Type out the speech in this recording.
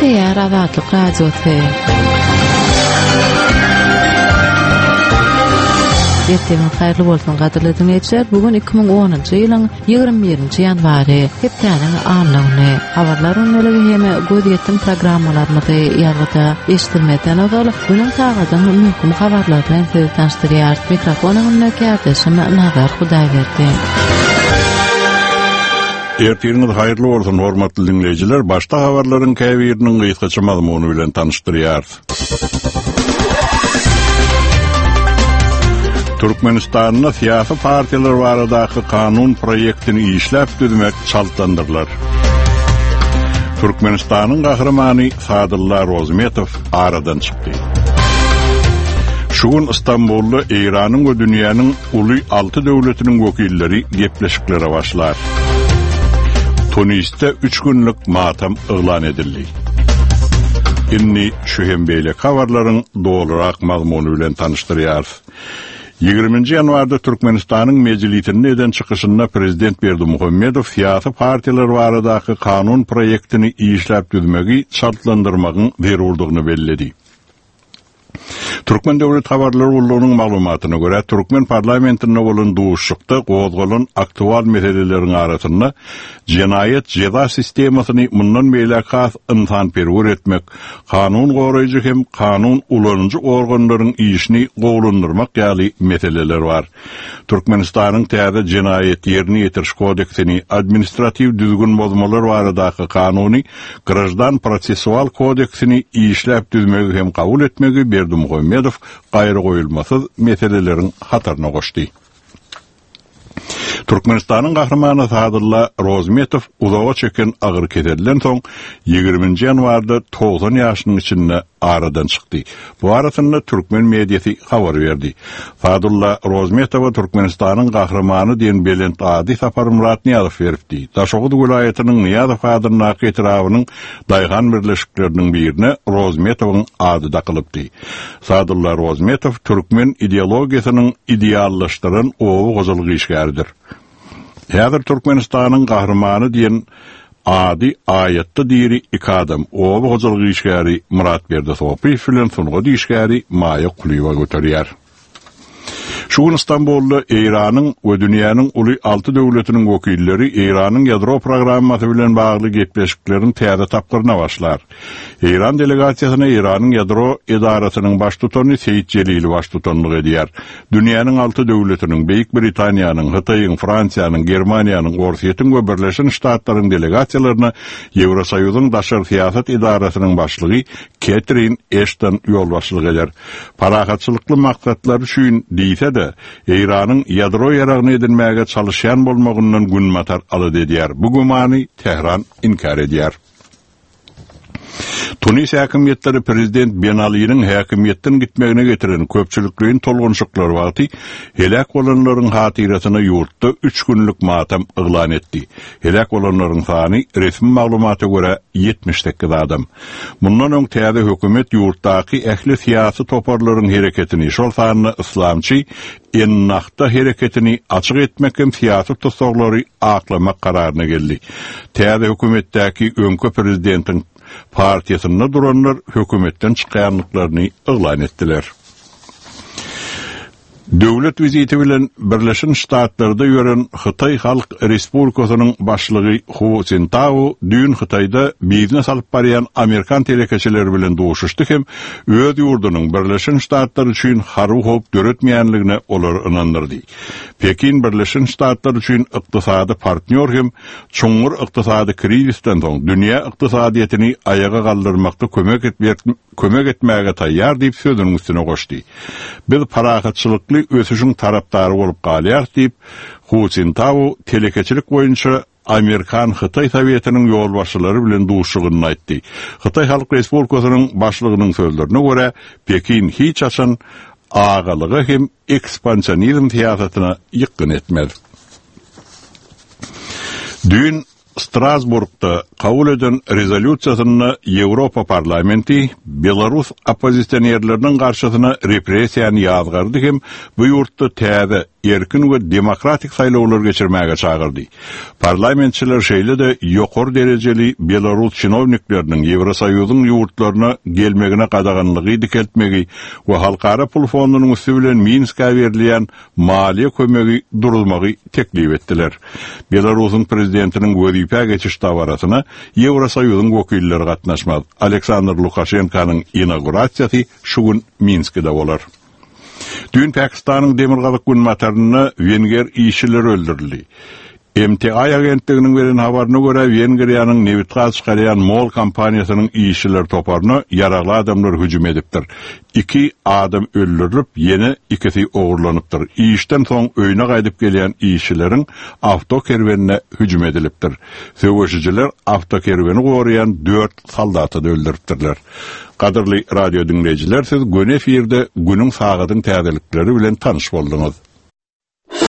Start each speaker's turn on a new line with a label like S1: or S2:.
S1: Gepleýär Azatlyk Radiosy. Ertiriňiz haýyrly bolsun gadyrly diňleýjiler. Bu gün 2010-njy ýylyň 21-nji ýanwary, hepdäniň anna güni. Habarlar gündeligi hem gözýetim programmalarymyzy ýazgyda eşidilmezden ozal, günüň sagadyň möhüm habarlary bilen sizi tanyşdyrýarys. Mikrofon öňünde kärdeşim Nazar Hudaýberdi.
S2: Ertiriňiz haýyrly bolsun, hormatly diňleýjiler! Başda habarlaryň käbiriniň gysgaça mazmuny bilen tanyşdyrýarys. Türkmenistanda syýasy partiýalar baradaky kanun proýektini işläp düzmek çaltlandyrylar. Türkmenistanyň Gahrymany Sadylla Rozmetow aradan çykdy. Şu gün Stambulda Eýranyň we dünýäniň uly alty döwletiniň wekilleri gepleşiklere başlar. Tunisde üç günlük matam yglan edildi. Indi şu hem beýleki habarlaryň dolurak mazmuny bilen tanyşdyrýarys. Ýigriminji ýanwarda Türkmenistanyň Mejlisinde eden çykyşynda prezident Berdimuhamedow syýasy partiýalar baradaky kanun proýektini işläp düzmegi çaltlandyrmagyň zerurdygyny belledi. Türkmen döwlet habarlar gullugynyň maglumatyna görä, türkmen parlamentinde bolan duşuşykda gozgalan aktual meseleleriň arasynda jenaýat jeza sistemasyny mundan beýläk has ynsanperwer etmek, kanun goraýjy hem kanun ulanyjy organlaryň işini gowulandyrmak ýaly meseleler bar. Türkmenistanyň täze Jenaýat ýerine ýetiriş kodeksini, Administratiw düzgün bozmalar baradaky kanuny, Graždan prosessual kodeksini işläp düzmegi hem kabul etmegi Berdimuhamedow gaýragoýulmasyz meseleleriň hataryna goşdy. Türkmenistanyň Gahrymany Sadylla Rozmetow uzaga çeken agyr keselden soň, ýigriminji ýanwarda 90 ýaşynyň içinde aradan çykdy. Bu barasynda türkmen mediasy habar berdi. Sadulla Rozmetowa Türkmenistanyň Gahrymany diýen belent ady Saparmyrat Nyýazow beripdi. Daşoguz welaýatynyň Nyýazow adyndaky etrabynyň daýhan birleşikleriniň birine Rozmetowyň ady dakylypdy. Sadulla Rozmetow türkmen ideologiýasynyň ideallaşdyran oba hojalyk işgäridir. Häzir Türkmenistanyň Gahrymany diýen ady aýatda diri iki adam, oba hojalyk işgäri Myratberdi Sopyýew bilen sungat işgäri Maýa Kulyýewa göterýär. Şu gün Stambulda Eýranyň we dünýäniň uly alty döwletiniň wekilleri Eýranyň ýadro programmasy bilen bagly gepleşikleriň täze tapgyryna başlar. Eýran delegasiýasyna Eýranyň ýadro edarasynyň baştutany Seýit Jelili baştutanlyk edýär. Dünýäniň alty döwletiniň, Beýik Britaniýanyň, Hytaýyň, Fransiýanyň, Germaniýanyň, Orsýetiň we Birleşen Ştatlaryň delegasiýalaryna Ýewrosoýuzyň daşary syýasat edarasynyň başlygy Ketrin Eşton ýolbaşçylyk eder. Parahatçylykly maksatlar üçin diýse-de, Eýranyň ýadro ýaragyny edinmäge çalyşýan bolmagyndan Günbatar alada edýär. Bu gümany Tähran inkär edýär. Tunis häkimiýetleri prezident Ben Aliniň häkimiýetden gitmegine getiren köpçülikleýin tolgunyşyklar wagty heläk bolanlaryň hatyrasyna ýurtda üç günlük matam yglan etdi. Heläk bolanlaryň sany, resmi maglumata görä, 78 adam. Mundan öň täze hökümet ýurtdaky ähli syýasy toparlaryň hereketini, şol sanda yslamçy Ennahda hereketini açyk etmek hem syýasy tussaglary aklamak kararyna geldi. Täze hökümetdäki öňki prezidentiň partiýasynda duranlar hökümetden çykýandyklaryny yglan etdiler. Döwlet wiziti bilen Birleşen Ştatlarda ýören Hytaý Halk Respublikasynyň başlygy Hu Sintao düýn Hytaýda biznes alyp barýan amerikan telekeçileri bilen duşuşdy hem öz ýurdunyň Birleşen Ştatlar üçin harby howp döretmeýänligine olary ynandyrdy. Pekin Birleşen Ştatlar üçin ykdysady partnýor hem çuňňur ykdysady krizisden soň dünýä ykdysadyýetini aýaga galdyrmakda kömek kömek etmäge taýýar diýip sözüniň üstüne goşdy. Biz parahatçylykly ösüşiň tarapdary bolup galýarys diýip, Hu Sintao telekeçilik boýunça Amerikan-Hytaý Sowetiniň ýolbaşçylary bilen duşuşygynda aýtdy. Hytaý Halk Respublikasynyň Başlygynyň sözlerine görä, Pekin hiç haçan agalyga hem ekspansionizm syýasatyna ýykgyn etmez. Düýn Strasburgda kabul eden rezolýusiýasynda Ýewropa Parlamenti belarus oppozisionerleriniň garşysyna repressiýany ýazgardy hem bu ýurtda täze. erkin we demokratik saýlawlar geçirmäge çagyrdy. Parlamentçiler şeýle-de ýokary derejeli belarus çinownikleriniň Ýewrosoýuzyň ýurtlaryna gelmegine gadaganlygy dikeltmegi we Halkara pul fondunyň üsti bilen Minskä berilýän maliýe kömegi duruzmagy teklip etdiler. Belarusyň prezidentiniň wezipä geçiş dabarasyna Ýewrosoýuzyň wekilleri gatnaşmaz. Aleksandr Lukaşenkanyň inaugurasiýasy şu gün Minskide bolar. Düýn Pakistanyň demirgazyk-günbatarynda wenger işçileri öldürildi. MTI agentliginiň beren habaryna görä, Wengriýanyň nebitgaz çykarýan MOL kompaniýasynyň işçiler toparyna ýaragly adamlar hüjüm edipdir. Iki adam öldürilip, ýene ikisi ogurlanypdyr. Işden soň öýüne gaýdyp gelýän işçileriň awtokerwenine hüjüm edilipdir. Söweşijiler awtokerweni goraýan dört soldaty-da öldüripdirler. Gadyrly radio diňleýjiler, siz göni efirde günüň sagadyň täzelikleri bilen tanyş bolduňyz.